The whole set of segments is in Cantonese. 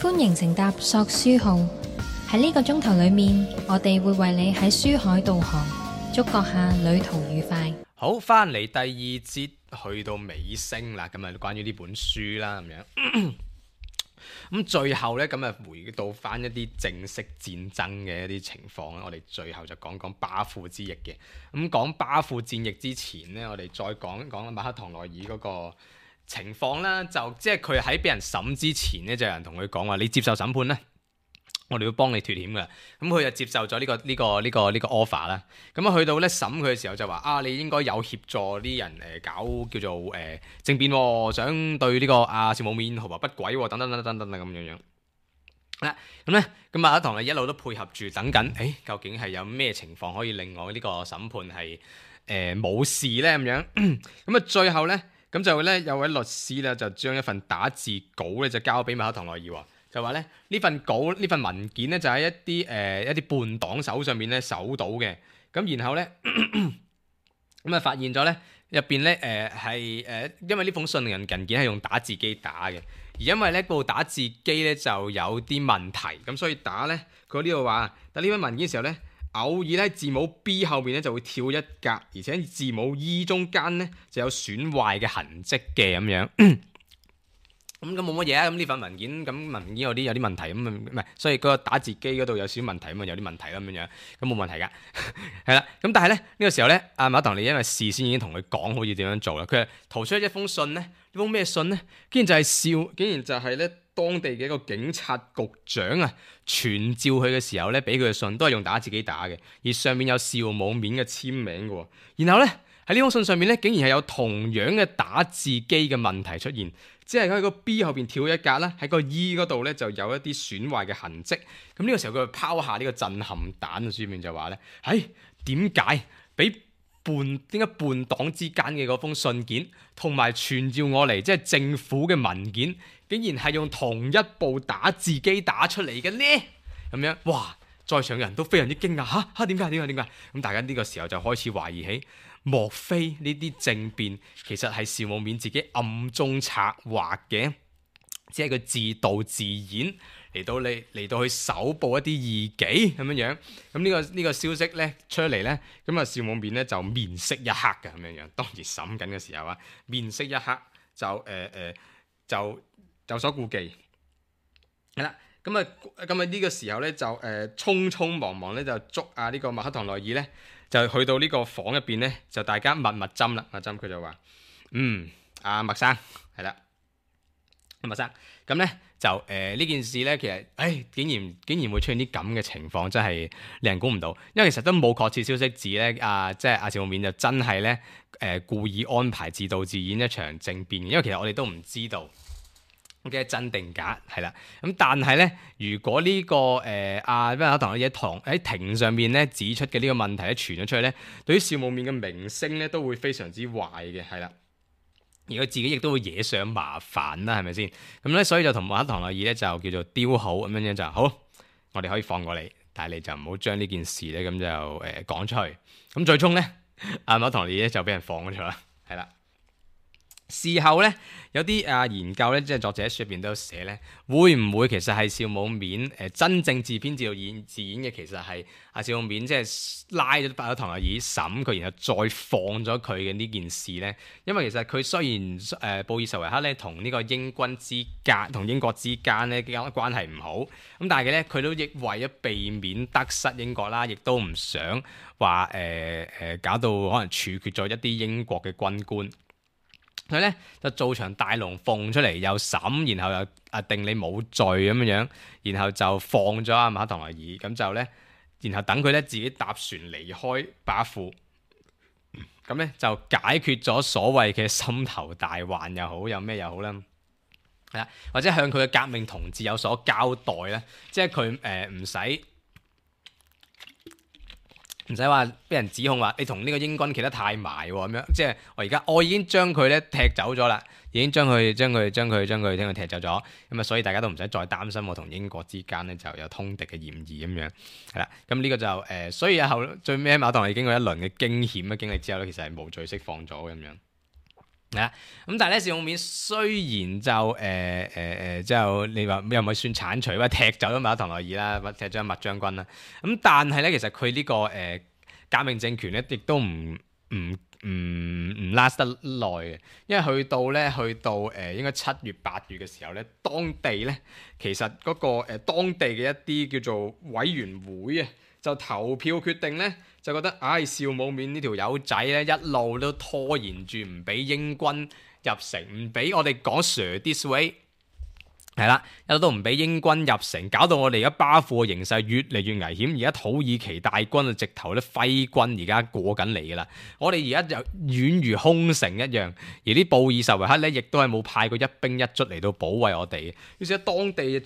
歡迎乘搭索書號，喺呢個鐘頭裏面，我哋會為你喺書海導航，祝閣下旅途愉快。好，翻嚟第二節，去到尾聲啦，咁啊關於呢本書啦咁樣。咁最後呢，咁啊回到翻一啲正式戰爭嘅一啲情況啦。我哋最後就講講巴庫之役嘅。咁講巴庫戰役之前呢，我哋再講一講馬克唐內爾嗰個情況啦。就即係佢喺俾人審之前呢，就有人同佢講話：你接受審判啦，我哋會幫你脫險㗎。咁佢就接受咗呢個 offer 啦。咁啊去到咧審佢嘅時候就話：啊，你應該有協助啲人搞叫做政變喎，想對呢個邵武冕圖謀不軌喎，等等等等等等咁樣樣。咁咧咁馬克唐一路都配合住等緊，究竟係有咩情況可以令我呢個審判係冇事咧咁樣？咁啊最後咧咁就咧有位律師咧就將一份打字稿咧就交俾馬克唐內爾喎。就話咧呢份文件咧就喺一啲叛黨手上面咧搜到嘅，咁然後咧咁啊發現咗咧入邊咧因為呢封信人件係用打字機打嘅，而因為咧部打字機咧就有啲問題，咁所以打咧佢呢度話打呢份文件嘅時候咧，偶爾咧字母 B 後面咧就會跳一格，而且字母 E 中間咧就有損壞嘅痕跡嘅咁樣。咁冇乜嘢啊！咁呢份文件有啲問題咁唔係，所以嗰個打字機嗰度有少少問題咁啊，有啲問題啦咁樣，咁冇問題噶，係啦。咁但係咧呢個時候咧，阿馬唐尼因為事先已經同佢講好似點樣做啦，佢係圖出一封信咧，呢封咩信咧？竟然就係咧當地嘅一個警察局長啊傳召佢嘅時候咧，俾佢嘅信都係用打字機打嘅，而上面有邵武冕嘅簽名嘅。然後咧喺呢封信上面咧，竟然係有同樣嘅打字機嘅問題出現。即係喺個 B 後邊跳一格啦，喺個 E 嗰度咧就有一啲損壞嘅痕跡。咁呢個時候佢就拋下呢個震撼彈，書面就話咧：點解叛黨之間嘅嗰封信件同埋傳召我嚟，即係政府嘅文件，竟然係用同一部打字機打出嚟嘅呢？咁樣哇，在場嘅人都非常之驚訝點解？咁大家呢個時候就開始懷疑起。莫非呢啲政變其實係邵武冕自己暗中策劃嘅，只係佢自導自演嚟到去搜捕一啲異己咁樣樣。咁呢個消息咧出嚟咧，咁啊邵武冕咧就面色一黑嘅咁樣樣。當時審緊嘅時候啊，面色一黑就有所顧忌。係啦，咁啊呢個時候咧就匆匆忙忙咧就捉呢個馬克唐內爾咧。就去到呢個房入邊咧，就大家密針啦。密針佢就話：阿麥生係啦，麥生咁咧就呢件事咧，其實竟然會出現啲咁嘅情況，真係令人估唔到。因為其實都冇確切消息指咧，即係阿邵武冕就真係咧故意安排自導自演一場政變嘅。因為其實我哋都唔知道。嘅真定假係啦，咁但係咧，如果呢個馬克唐內爾喺庭上面咧指出嘅呢個問題咧傳咗出去咧，對於邵武冕嘅名聲咧都會非常之壞嘅，係啦，而佢自己亦都會惹上麻煩啦，係咪先？咁咧，所以就同馬克唐內爾咧就叫做丟好咁樣就好，我哋可以放過你，但係你就唔好將呢件事咧咁就講出去。咁最終咧，馬克唐內爾咧就俾人放咗出啦，係啦。事後咧有啲研究咧，即係作者喺書入邊都有寫咧，會唔會其實係邵武冕真正自編自導自演嘅？其實係邵武冕即係拉咗馬克唐內爾審佢，然後再放咗佢嘅呢件事咧。因為其實佢雖然布爾什維克咧同呢個英軍同英國之間咧關係唔好，咁但係咧佢都亦為咗避免得失英國啦，亦都唔想話搞到可能處決咗一啲英國嘅軍官。佢咧就做場大龍鳳出嚟，又審，然後又定你冇罪咁樣，然後就放咗阿馬克唐內爾，咁就咧，然後等佢咧自己搭船離開巴庫，咁咧就解決咗所謂嘅心頭大患又好，有咩又好啦，係啦，或者向佢嘅革命同志有所交代咧，即係佢唔使話俾人指控話你同呢個英軍企得太埋咁樣，即係我已經將佢咧踢走咗啦，已經將佢踢走咗，咁啊所以大家都唔使再擔心我同英國之間咧就有通敵嘅嫌疑咁樣，係啦，咁呢個就所以最尾馬唐尼經過一輪嘅驚險嘅經歷之後咧，其實係無罪釋放咗咁樣。係啦，咁但係咧，少孔面雖然就就你話又唔係算剷除，或者踢走咗馬唐內爾啦，或踢咗麥將軍啦。咁但係咧，其實佢呢個革命政權咧，亦都唔 last 得耐嘅，因為去到應該7月8月嘅時候咧，當地咧其實嗰個當地嘅一啲叫做委員會啊，就投票決定咧，就覺得邵武冕呢條友仔咧一路都拖延住唔俾英軍入城，唔俾我哋講 Sir this way。係啦，一路都唔俾英軍入城，搞到我哋而家巴庫嘅形勢越嚟越危險。而家土耳其大軍啊，直頭咧揮軍而家過緊嚟噶啦。我哋而家就遠如空城一樣，而啲布爾什維克咧，亦都係冇派過一兵一卒嚟到保衛我哋。於是喺當地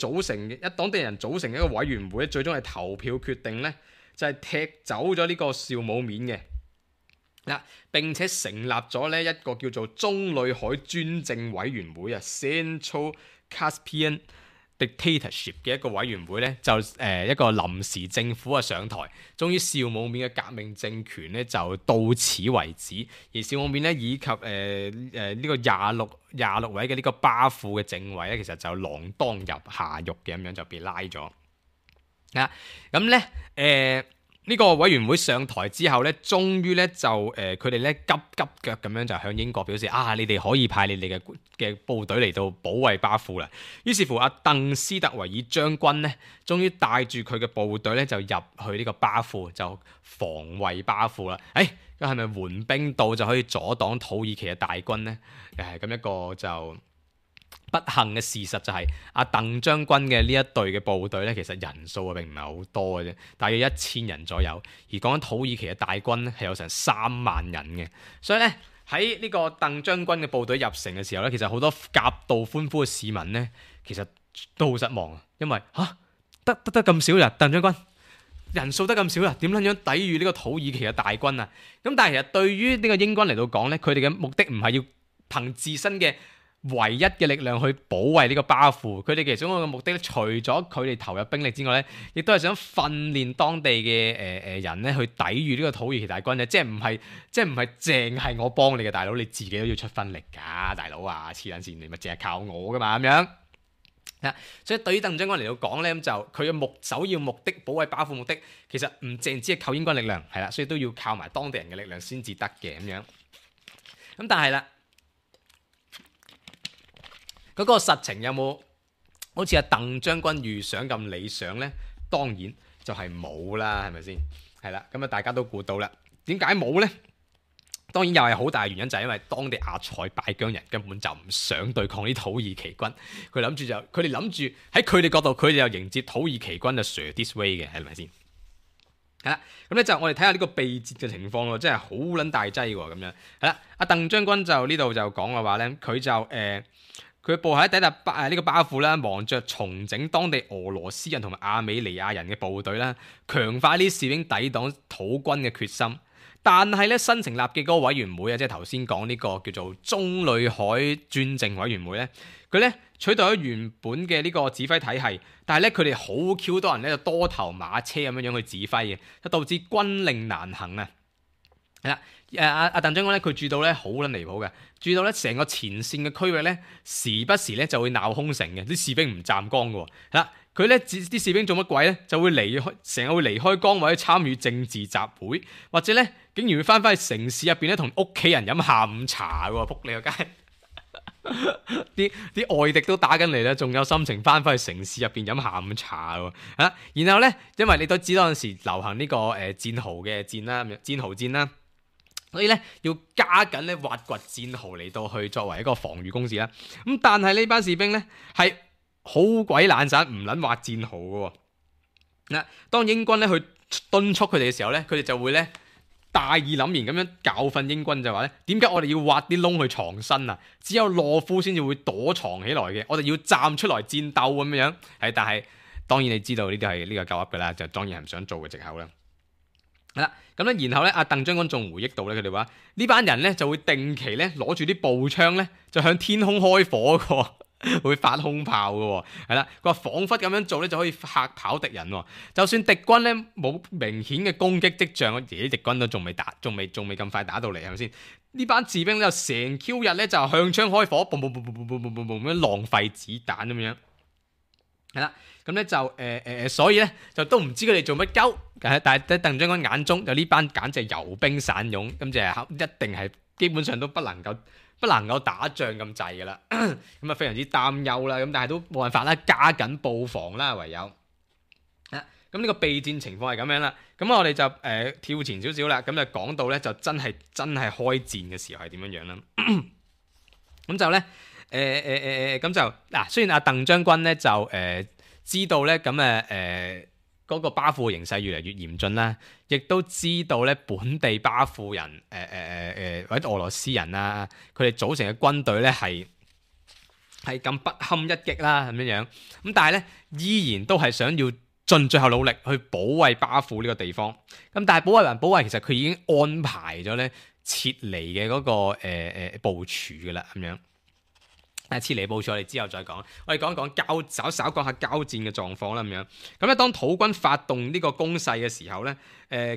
當地人組成一個委員會，最終係投票決定咧，就係踢走咗呢個邵武冕嘅。嗱，並且成立咗咧一個叫做中裏海專政委員會啊 ，Central Caspian Dictatorship 嘅一個委員會咧，就一個臨時政府啊上台，終於邵武冕嘅革命政權咧就到此為止。而邵武冕咧以及呢個廿六位嘅呢個巴庫嘅政委咧，其實就鋃鐺入下獄嘅，咁樣就被拉咗。咁咧呢個委員會上台之後咧，終於咧就佢哋咧急腳咁樣就向英國表示你哋可以派你哋嘅部隊嚟到保衛巴庫啦。於是乎，阿鄧斯特維爾將軍咧，終於帶住佢嘅部隊咧就入去呢個巴庫，就防衛巴庫啦。咁係咪援兵到就可以阻擋土耳其嘅大軍咧？咁一個就不幸嘅事實就係阿鄧將軍嘅呢一隊嘅部隊咧，其實人數並唔係好多嘅啫，大約1000人左右。而講緊土耳其嘅大軍咧，係有成3萬人嘅。所以咧喺呢個鄧將軍嘅部隊入城嘅時候咧，其實好多夾道歡呼嘅市民咧，其實都好失望啊，因為得咁少人，鄧將軍人數得咁少啦，點撚樣抵禦呢個土耳其嘅大軍啊？咁但係其實對於呢個英軍嚟到講咧，佢哋嘅目的唔係要憑自身嘅唯一嘅力量去保衛呢個巴庫，佢哋其中一個目的咧，除咗佢哋投入兵力之外咧，亦都係想訓練當地嘅人咧去抵禦呢個土耳其大軍嘅，即係唔係淨係我幫你嘅大佬，你自己都要出分力㗎，大佬啊，黐撚線，你咪淨係靠我㗎嘛咁樣。所以對於鄧將軍嚟到講咧，咁就佢嘅首要目的保衛巴庫目的，其實唔淨止係靠英軍力量，係啦，所以都要靠埋當地人嘅力量先至得嘅咁樣。咁但係啦，嗰個實情有冇好似阿鄧將軍預想咁理想呢？當然就係冇啦，係咪先？係啦，咁啊大家都估到啦。點解冇呢？當然又係好大嘅原因，就係因為當地阿塞拜疆人根本就唔想對抗啲土耳其軍，佢哋諗住喺佢哋角度，佢哋又迎接土耳其軍就 Sir this way 嘅，係咪先？係啦，咁咧就我哋睇下呢個被截嘅情況咯，真係好撚大劑喎咁樣。係啦，阿鄧將軍就呢度就講嘅話咧，佢就佢部喺抵達呢個巴庫啦，忙着重整當地俄羅斯人同埋亞美尼亞人嘅部隊啦，強化呢啲士兵抵擋土軍嘅決心。但係咧新成立嘅嗰個委員會啊，即係頭先講呢個叫做中裏海專政委員會咧，佢咧取代咗原本嘅呢個指揮體系，但係咧佢哋好 Q 多人咧就多頭馬車咁樣去指揮嘅，就導致軍令難行啊。係啦，阿鄧將軍咧佢住到咧好撚離譜嘅，住到咧成個前線嘅區域咧，時不時咧就會鬧空城嘅，啲士兵唔站崗嘅喎。係啦，佢咧啲士兵做乜鬼咧？就會成日會離開崗位去參與政治集會，或者咧竟然會翻返去城市入邊咧同屋企人飲下午茶喎，仆你個街！啲外敵都打緊嚟啦，仲有心情翻返去城市入邊飲下午茶喎。然後咧，因為你都知道嗰陣時流行呢個戰壕嘅戰啦，戰壕戰啦。所以咧要加緊咧挖掘戰壕嚟到去作為一個防禦工事啦。咁但係呢班士兵咧係好鬼懶散，唔撚挖戰壕嘅喎。當英軍咧去敦促佢哋嘅時候咧，佢哋就會咧大義凜然咁樣教訓英軍，就話咧點解我哋要挖啲窿去藏身啊？只有懦夫先至會躲藏起來嘅，我哋要站出來戰鬥咁樣。但係當然你知道呢啲係呢個夠噏嘅啦，就當然係唔想做嘅藉口啦。咁咧，然後咧，阿鄧將軍仲回憶到咧，佢哋話呢班人咧就會定期咧攞住啲步槍咧，就向天空開火嘅，會發空炮嘅，係啦。佢話彷彿咁樣做咧就可以嚇跑敵人，就算敵軍咧冇明顯嘅攻擊跡象，而啲敵軍都仲未咁快打到嚟，係咪先？呢班士兵咧就成 Q 日咧就向槍開火，嘣嘣嘣嘣嘣嘣嘣嘣咁樣浪費子彈咁樣。係啦，咁咧就所以咧就都唔知佢哋做乜鳩，但係喺鄧將軍眼中就呢班簡直係游兵散勇，咁就係一定係基本上都不能夠打仗咁滯噶啦，咁啊非常之擔憂啦，咁但係都冇辦法啦，加緊布防啦，唯有。咁呢個備戰情況係咁樣啦，咁我哋就跳前少少啦，咁就講到咧就真係開戰嘅時候係點樣樣啦。咁就咧咁就嗱，雖然阿鄧將軍咧就知道咧咁嗰個巴庫形勢越嚟越嚴峻啦，亦都知道咧本地巴庫人或者俄羅斯人啊，佢哋組成嘅軍隊咧係咁不堪一擊啦咁樣樣，咁但係咧依然都係想要盡最後努力去保衛巴庫呢個地方。咁但係保衛，其實佢已經安排咗咧撤離嘅嗰個部署㗎啦咁樣。撤離部署我哋之後再講，我哋講一講稍講下交戰嘅狀況啦咁樣。咁咧當土軍發動呢個攻勢嘅時候咧，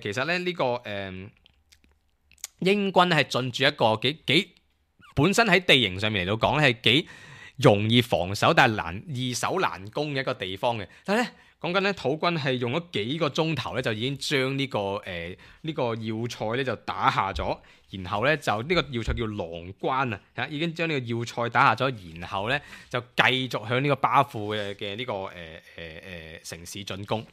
其實咧呢個英軍係進駐一個幾本身喺地形上面嚟到講咧係幾容易防守，但係易守難攻嘅一個地方嘅。但係咧講緊咧土軍係用咗幾個鐘頭咧就已經將呢個要塞咧就打下咗。然後咧就呢個要塞叫狼關啊，已經將呢個要塞打下咗，然後咧就繼續向呢個巴庫嘅呢個城市進攻。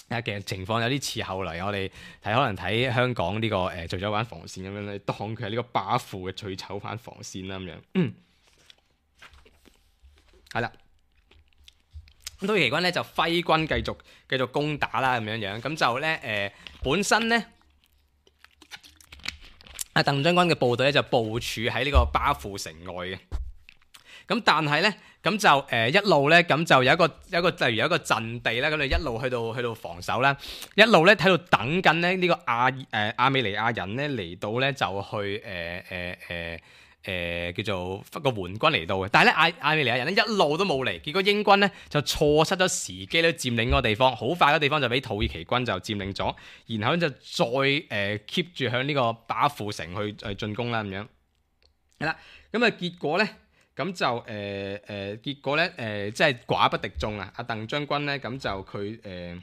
其實情況有啲似後嚟我哋可能睇香港呢個醉酒灣防線咁樣咧，當佢係呢個巴庫嘅醉酒灣防線啦咁樣。係啦，咁土耳其軍咧就揮軍繼續攻打啦咁樣，咁就咧本身咧。阿鄧將軍嘅部隊咧就部署喺呢個巴庫城外嘅，咁但係咧咁就一路咧咁就有一個例如有一個陣地啦，咁就一路去到防守啦，一路咧喺度等緊咧呢個亞美尼亞人咧嚟到咧就去叫做個援軍嚟到嘅，但係咧亞美尼亞人咧一路都冇嚟，結果英軍咧就錯失咗時機咧佔領嗰個地方，好快嗰個地方就俾土耳其軍就佔領咗，然後就再keep 住向呢個巴庫城去進攻啦咁樣。係啦，咁啊結果咧咁就結果咧即係寡不敵眾啊！阿鄧將軍咧咁就佢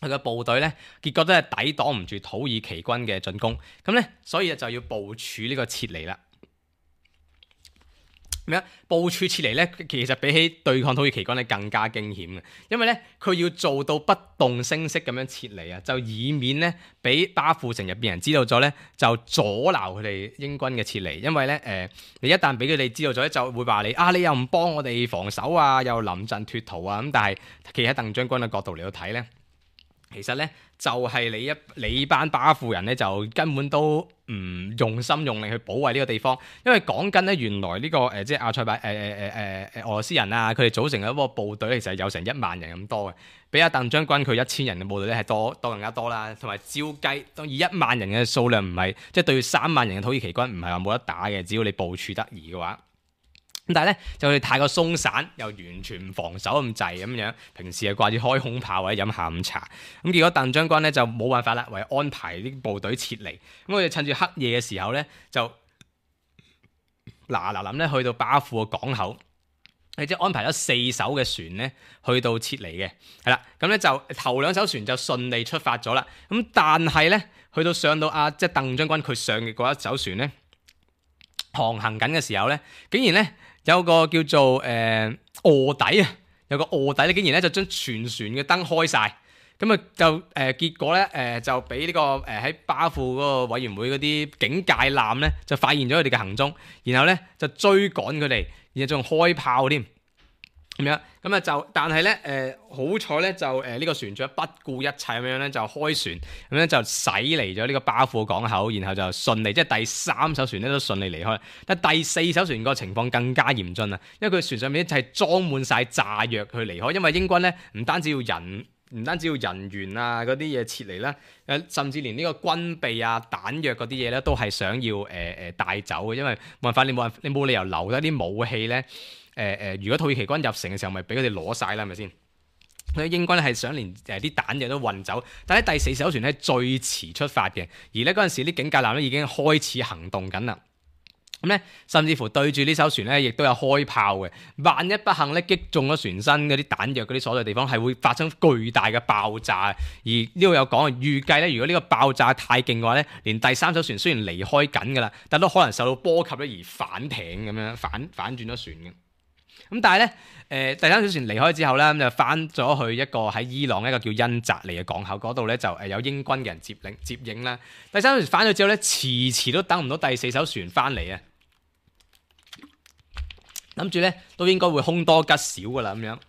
嘅部隊咧，結果都係抵擋唔住土耳其軍嘅進攻，咁咧所以就要部署呢個撤離啦。部署撤離咧，其實比起對抗土耳其軍咧更加驚險嘅，因為咧佢要做到不動聲色咁樣撤離啊，就以免咧俾巴庫城入邊人知道咗咧，就阻撓佢哋英軍嘅撤離。因為咧你一旦俾佢哋知道咗咧，就會話你又唔幫我哋防守啊，又臨陣脫逃啊咁。但係企喺鄧將軍嘅角度嚟到睇咧，其實咧就係你班巴庫人咧就根本都唔用心用力去保衛呢個地方，因為講緊咧原來呢個即係阿塞拜俄羅斯人啊，佢哋組成嘅一個部隊其實有成1萬人咁多嘅，比阿鄧將軍佢1000人嘅部隊咧係多更加多啦，同埋照計當以1萬人嘅數量唔係即係對3萬人嘅土耳其軍唔係話冇得打嘅，只要你部署得宜嘅話。咁但係咧就佢太過鬆散，又完全唔防守咁滯咁樣，平時係掛住開空炮或者飲下午茶。咁結果鄧將軍咧就冇辦法啦，為安排啲部隊撤離。咁我哋趁住黑夜嘅時候咧，就嗱臨咧去到巴庫嘅港口，即係安排咗4艘嘅船咧去到撤離嘅。係啦，咁咧就頭2艘船就順利出發咗啦。咁但係咧去到上到即係鄧將軍佢上嘅嗰一艘船咧航行緊嘅時候咧，竟然咧有個叫做臥底啊，有個臥底咧，竟然咧就將全船嘅燈開晒，咁啊就結果咧就俾呢個喺巴庫嗰個委員會嗰啲警戒艦咧就發現咗佢哋嘅行蹤，然後咧就追趕佢哋，然後仲開炮添咁樣，咁啊就但係咧好彩咧就呢個船長不顧一切咁樣咧就開船咁樣就駛離咗呢個巴庫港口，然後就順利即係第3艘船咧都順利離開。但第4艘船個情況更加嚴峻啊，因為佢船上面就係裝滿晒炸藥去離開，因為英軍咧唔單止要人員啊嗰啲嘢撤離啦，甚至連呢個軍備啊彈藥嗰啲嘢咧都係想要帶走嘅，因為冇辦法你冇理由留低啲武器咧。如果土耳其軍入城嘅時候，咪俾佢哋攞晒啦，係咪先？佢英軍咧係想連啲彈藥都運走，但係第4艘船咧最遲出發嘅，而咧嗰陣時啲警戒艦咧已經開始行動緊啦。咁咧，甚至乎對住呢艘船咧，亦都有開炮嘅。萬一不幸咧擊中咗船身嗰啲彈藥嗰啲所在地方，係會發生巨大嘅爆炸。而呢度有講，預計咧，如果呢個爆炸太勁嘅話咧，連第3艘船雖然離開緊㗎啦，但都可能受到波及咧而反艇咁樣反轉咗船嘅。咁但係咧，第3艘船離開之後咧，咁就翻咗去一個喺伊朗一個叫恩澤利嘅港口嗰度咧，就有英軍嘅人接應啦。第3艘船翻咗之後咧，遲都等唔到第4艘船翻嚟啊！諗住咧都應該會凶多吉少㗎啦咁樣。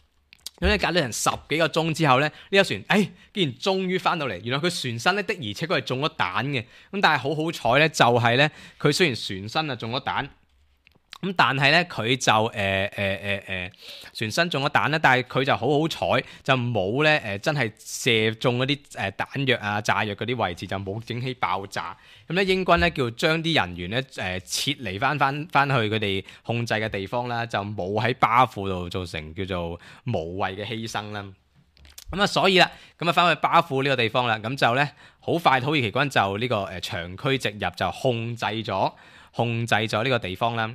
咁咧隔咗成10幾個鐘之後咧，呢艘船竟然終於翻到嚟。原來佢船身咧的而且確係中咗彈嘅。咁但係好彩咧，就係咧佢雖然船身啊中咗彈。咁但係咧，佢就船身中咗彈啦，但係佢就好彩，就冇咧真係射中嗰啲彈藥啊、炸藥嗰啲位置，就冇整起爆炸。咁咧英軍咧叫將啲人員咧撤離翻去佢哋控制嘅地方啦，就冇喺巴庫度造成叫做無謂嘅犧牲啦。咁啊，所以啦，咁啊翻去巴庫呢個地方啦，咁就咧好快土耳其軍就呢個長驅直入，就控制咗呢個地方啦。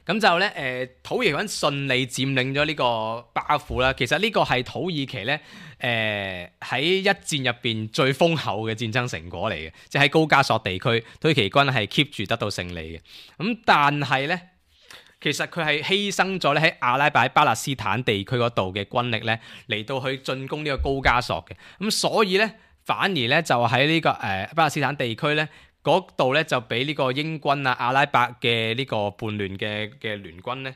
咁就咧土耳其軍順利佔領咗呢個巴庫啦。其實呢個係土耳其咧喺一戰入邊最豐厚嘅戰爭成果嚟嘅，即係喺高加索地區，土耳其軍係 keep 住得到勝利嘅。咁但係咧，其實佢係犧牲咗咧喺阿拉伯巴勒斯坦地區嗰度嘅軍力咧嚟到去進攻呢個高加索嘅。咁所以咧反而咧就喺呢個巴勒斯坦地區咧。嗰度咧就俾呢個英軍啊、阿拉伯嘅呢個叛亂嘅聯軍咧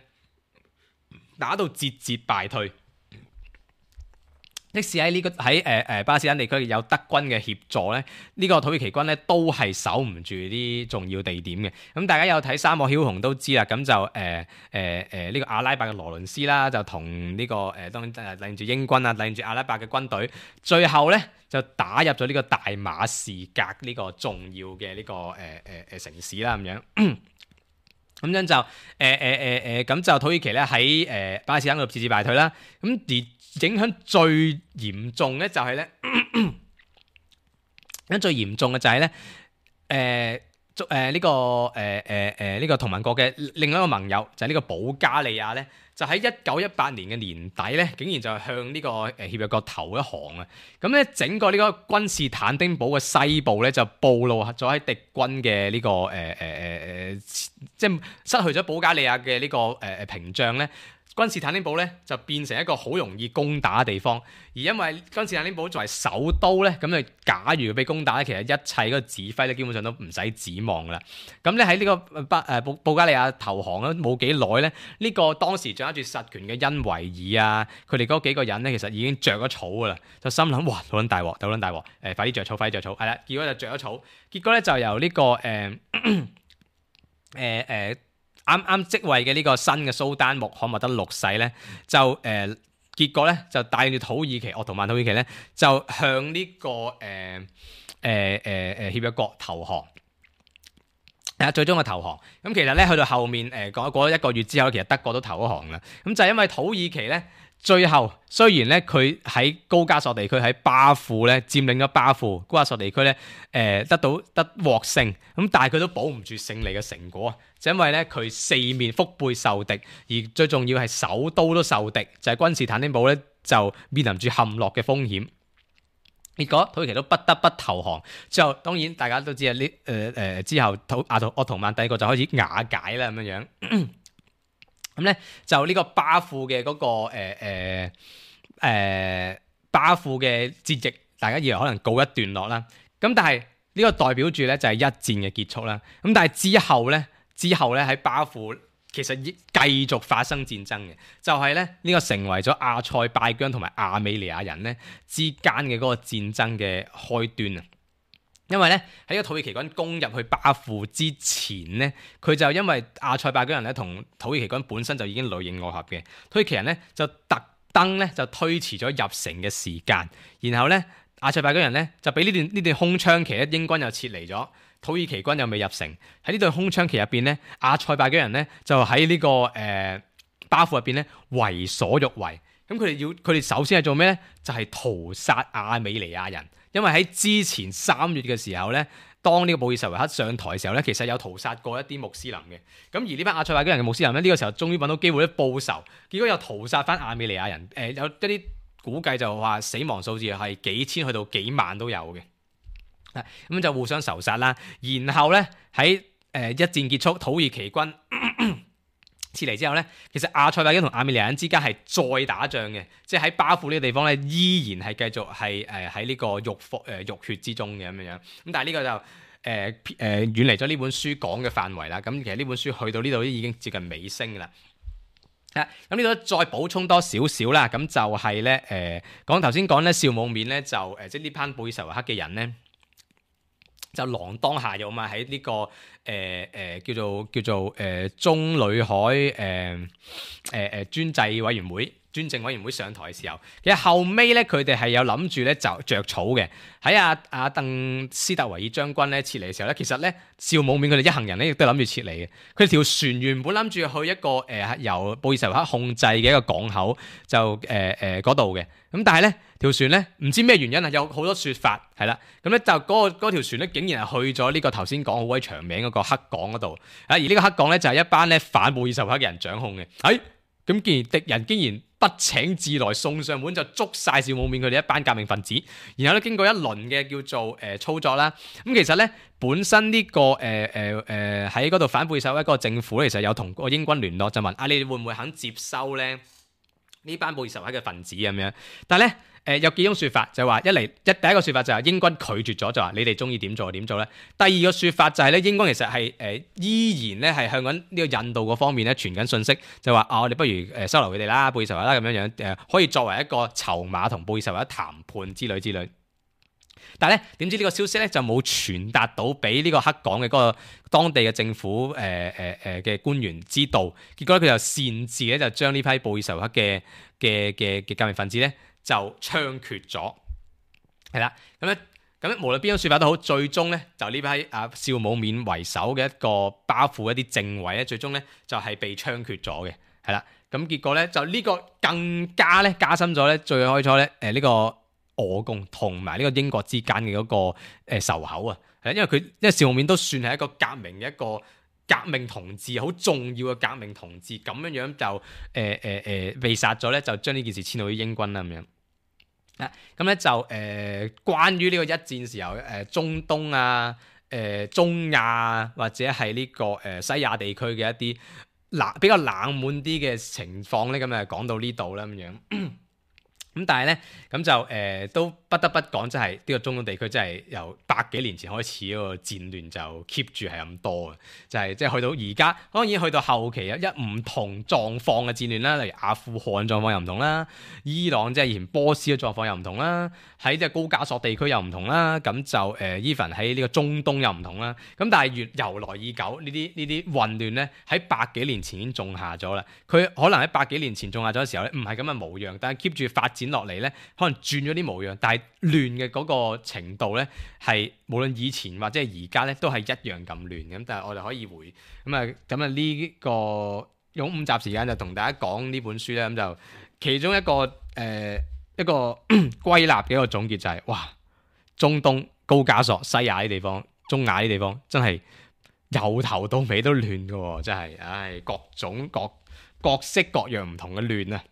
打到節敗退。即使喺呢個喺巴勒斯坦地區有德軍嘅協助咧，呢個土耳其軍咧都係守唔住啲重要地點嘅。咁大家有睇《沙漠梟雄》都知啦。咁就呢個阿拉伯嘅羅倫斯啦，就同呢個當然領住英軍啊，領住阿拉伯嘅軍隊，最後咧就打入咗呢個大馬士革呢個重要嘅呢個城市啦咁樣。咁樣就咁就土耳其咧喺巴勒斯坦嗰度節敗退啦。咁而影響最嚴重咧就係咧，最嚴重嘅就係咧，呢個同盟國嘅另一個盟友就係呢個保加利亞咧，就喺1918年嘅年底咧，竟然就向呢個協約國投一降啊！咁咧整個呢個君士坦丁堡嘅西部咧就暴露咗喺敵軍嘅呢個即係失去咗保加利亞嘅呢個屏障咧。君士坦丁堡咧就變成一個好容易攻打嘅地方，而因為君士坦丁堡作為首都咧，咁就假如被攻打咧，其實一切嗰個指揮咧基本上都唔使指望噶啦。咁咧喺呢個保加利亞投降咗冇幾耐咧，呢個當時掌握住實權嘅恩維爾啊，佢哋嗰幾個人咧其實已經着咗草噶啦，就心諗哇，好撚大鑊，好撚大鑊，快啲着草，係啦，結果就着咗草，結果咧就由呢個啱啱即位嘅呢個新嘅蘇丹穆罕默德六世咧，就結果咧就帶住土耳其鄂圖曼土耳其咧，就向呢個協約國投降。最終嘅投降。咁其實咧去到後面過咗1個月之後，其實德國都投降啦。咁就係因為土耳其咧。最後雖然咧佢喺高加索地區喺巴庫咧佔領咗巴庫，高加索地區咧得獲勝，咁但係佢都保唔住勝利嘅成果，就因為咧佢四面腹背受敵，而最重要係首都都受敵，就係君士坦丁堡咧就面臨住陷落嘅風險。結果土耳其都不得不投降，之後當然大家都知啊，之後鄂圖曼帝國就開始瓦解啦咁樣樣。咁咧就呢個巴庫嘅嗰個巴庫嘅戰役，大家以為可能告一段落啦。咁但係呢個代表住咧就係一戰嘅結束啦。咁但係之後咧喺巴庫其實繼續發生戰爭嘅，就係咧呢個成為咗阿塞拜疆同埋亞美尼亞人咧之間嘅嗰個戰爭嘅開端啊！因為咧喺個土耳其軍攻入去巴庫之前咧，佢就因為阿塞拜疆人咧同土耳其軍本身就已經裡應外合嘅，土耳其人咧就特登咧就推遲咗入城嘅時間，然後咧阿塞拜疆人咧就俾呢段空窗期咧，英軍又撤離咗，土耳其軍又未入城。喺呢段空窗期入邊咧，阿塞拜疆人咧就喺呢個巴庫入邊咧為所欲為。咁佢哋首先係做咩咧？就係屠殺亞美尼亞人，因為喺之前3月嘅時候咧，當呢個布爾什維克上台嘅時候咧，其實有屠殺過一啲穆斯林嘅。咁而呢班阿塞拜疆人嘅穆斯林咧，呢個時候終於揾到機會咧報仇，結果又屠殺翻亞美尼亞人。有一啲估計就話死亡數字係幾千去到幾萬都有嘅。咁就互相仇殺啦。然後咧喺一戰結束，土耳其軍撤離之後咧，其實阿塞拜疆同亞美尼亞人之間係再打仗嘅，即係喺巴庫呢個地方咧，依然係繼續係喺呢個浴血之中嘅咁樣。咁但係呢個就遠離咗呢本書講嘅範圍啦。咁其實呢本書去到呢度已經接近尾聲啦。咁呢度再補充多少少啦。咁就係咧頭先講咧紹姆面咧就即係呢班布爾什維克嘅人咧。就鋃鐺下藥嘛，喺呢個叫做中裏海專政委員會上台嘅時候，其實後尾咧佢哋係有諗住咧就著草嘅。喺阿鄧斯特維爾將軍咧撤離嘅時候咧，其實咧紹姆面佢哋一行人咧亦都諗住撤離嘅。佢哋條船原本諗住去一個由布爾什維克控制嘅一個港口，就嗰度嘅。咁但係咧條船咧唔知咩原因啊，有好多説法係啦。咁咧就嗰條船咧竟然係去咗呢個頭先講好鬼長名嗰個黑港嗰度。而呢個黑港咧就係一班咧反布爾什維克嘅人掌控嘅。咁既然敵人竟然不請自來送上門，就捉晒紹姆面佢哋一班革命分子，然後咧經過一輪嘅叫做操作啦。咁其實咧本身呢個喺嗰度反布爾什維克嗰個政府咧，其實有同個英軍聯絡，就問你哋會唔會肯接收咧呢班布爾什維克嘅分子咁樣？但係咧有幾種説法，就係話第一個説法就係英軍拒絕咗，就話你哋中意點做就點做咧。第二個説法就係咧英軍其實係依然咧係向緊呢個印度嗰方面咧傳緊信息，就話我哋不如收留佢哋啦，布爾什維克啦咁樣可以作為一個籌碼同布爾什維克談判之類。但係咧點知呢個消息咧就冇傳達到俾呢個黑港嘅嗰個當地嘅政府嘅官員知道，結果咧佢就擅自咧就將呢批布爾什維克嘅革命分子咧就槍決咗，係啦，咁無論邊種説法都好，最終咧就呢批紹姆面為首嘅一個巴庫一啲政委咧，最終咧就係被槍決咗嘅，係啦，咁結果咧就呢個更加咧加深咗咧最開初咧呢個俄共同埋呢個英國之間嘅嗰個仇口啊，係因為紹姆面都算係一個革命嘅一個革命同志，好重要嘅革命同志，咁樣就被殺咗咧，就將呢件事遷到啲英軍啦咁樣。咁咧就關於呢個一戰時候中東啊、中亞或者係呢個西亞地區嘅一啲比較冷門啲嘅情況咧，咁就講到呢度啦咁樣。咁但係咧，咁就都不得不講，即係呢個中東地區，真係由百幾年前開始嗰個戰亂就 keep 住係咁多嘅，就係即係去到而家，當然去到後期有一唔同狀況嘅戰亂啦，例如阿富汗狀況又唔同啦，伊朗即係以前波斯嘅狀況又唔同啦，喺即係高加索地區又唔同啦，咁就even 喺呢個中東又唔同啦。咁但係由來已久，呢啲混亂咧喺百幾年前已經種下咗啦。佢可能喺百幾年前種下咗嘅時候咧，唔係咁嘅模樣，但係 keep 住發展落嚟咧，可能轉咗啲模樣，但係亂嘅嗰個程度咧，係無論以前或者係而家咧，都係一樣咁亂咁。但係我哋可以呢個用5集時間就同大家講呢本書咧，咁就其中一個歸納嘅一個總結就係哇，中東、高加索、西亞啲地方、中亞啲地方真係由頭到尾都亂㗎喎，真係各種各式各樣唔同嘅亂啊！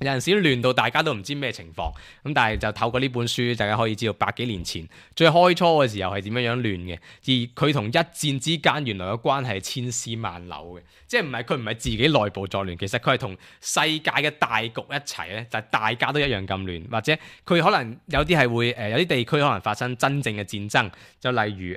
有陣時都亂到大家都唔知咩情況，咁但係就透過呢本書，大家可以知道百幾年前最開初嘅時候係點樣亂嘅，而佢同一戰之間原來嘅關係係千絲萬縷嘅，即係佢唔係自己內部作亂，其實佢係同世界嘅大局一齊咧，就係大家都一樣咁亂，或者佢可能有啲係會有啲地區可能發生真正嘅戰爭，就例如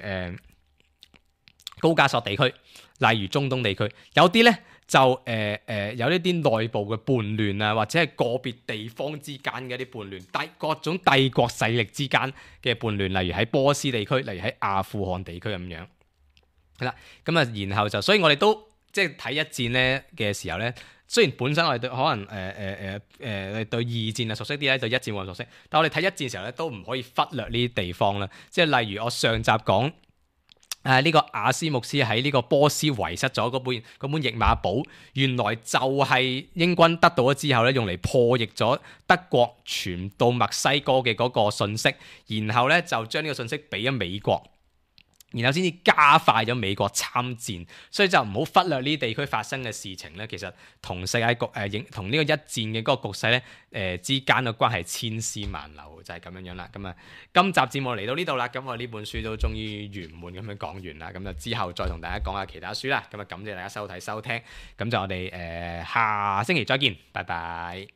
高加索地區，例如中東地區，有啲咧。就有呢啲內部嘅叛亂啊，或者係個別地方之間嘅一啲叛亂，各種帝國勢力之間嘅叛亂，例如喺波斯地區，例如喺阿富汗地區咁樣，係啦。咁啊，然後所以我哋都即係睇一戰咧嘅時候咧，雖然本身我哋對可能對二戰啊熟悉啲咧，對一戰冇咁熟悉，但我哋睇一戰嘅時候咧，都唔可以忽略呢啲地方啦。即係例如我上集講呢個阿斯穆斯喺呢個波斯遺失咗嗰本譯碼簿，原來就係英軍得到咗之後咧，用嚟破譯咗德國傳到墨西哥嘅嗰個信息，然後咧就將呢個信息俾咗美國。然後先至加快咗美國參戰，所以就唔好忽略呢啲地區發生嘅事情咧。其實同世界局同呢個一戰嘅嗰個局勢咧之間嘅關係千絲萬縷，就係咁樣樣啦。咁啊，今集節目嚟到呢度啦，咁我呢本書都終於圓滿咁樣講完啦。咁就之後再同大家講下其他書啦。咁啊，感謝大家收睇收聽，咁就我哋下星期再見，拜拜。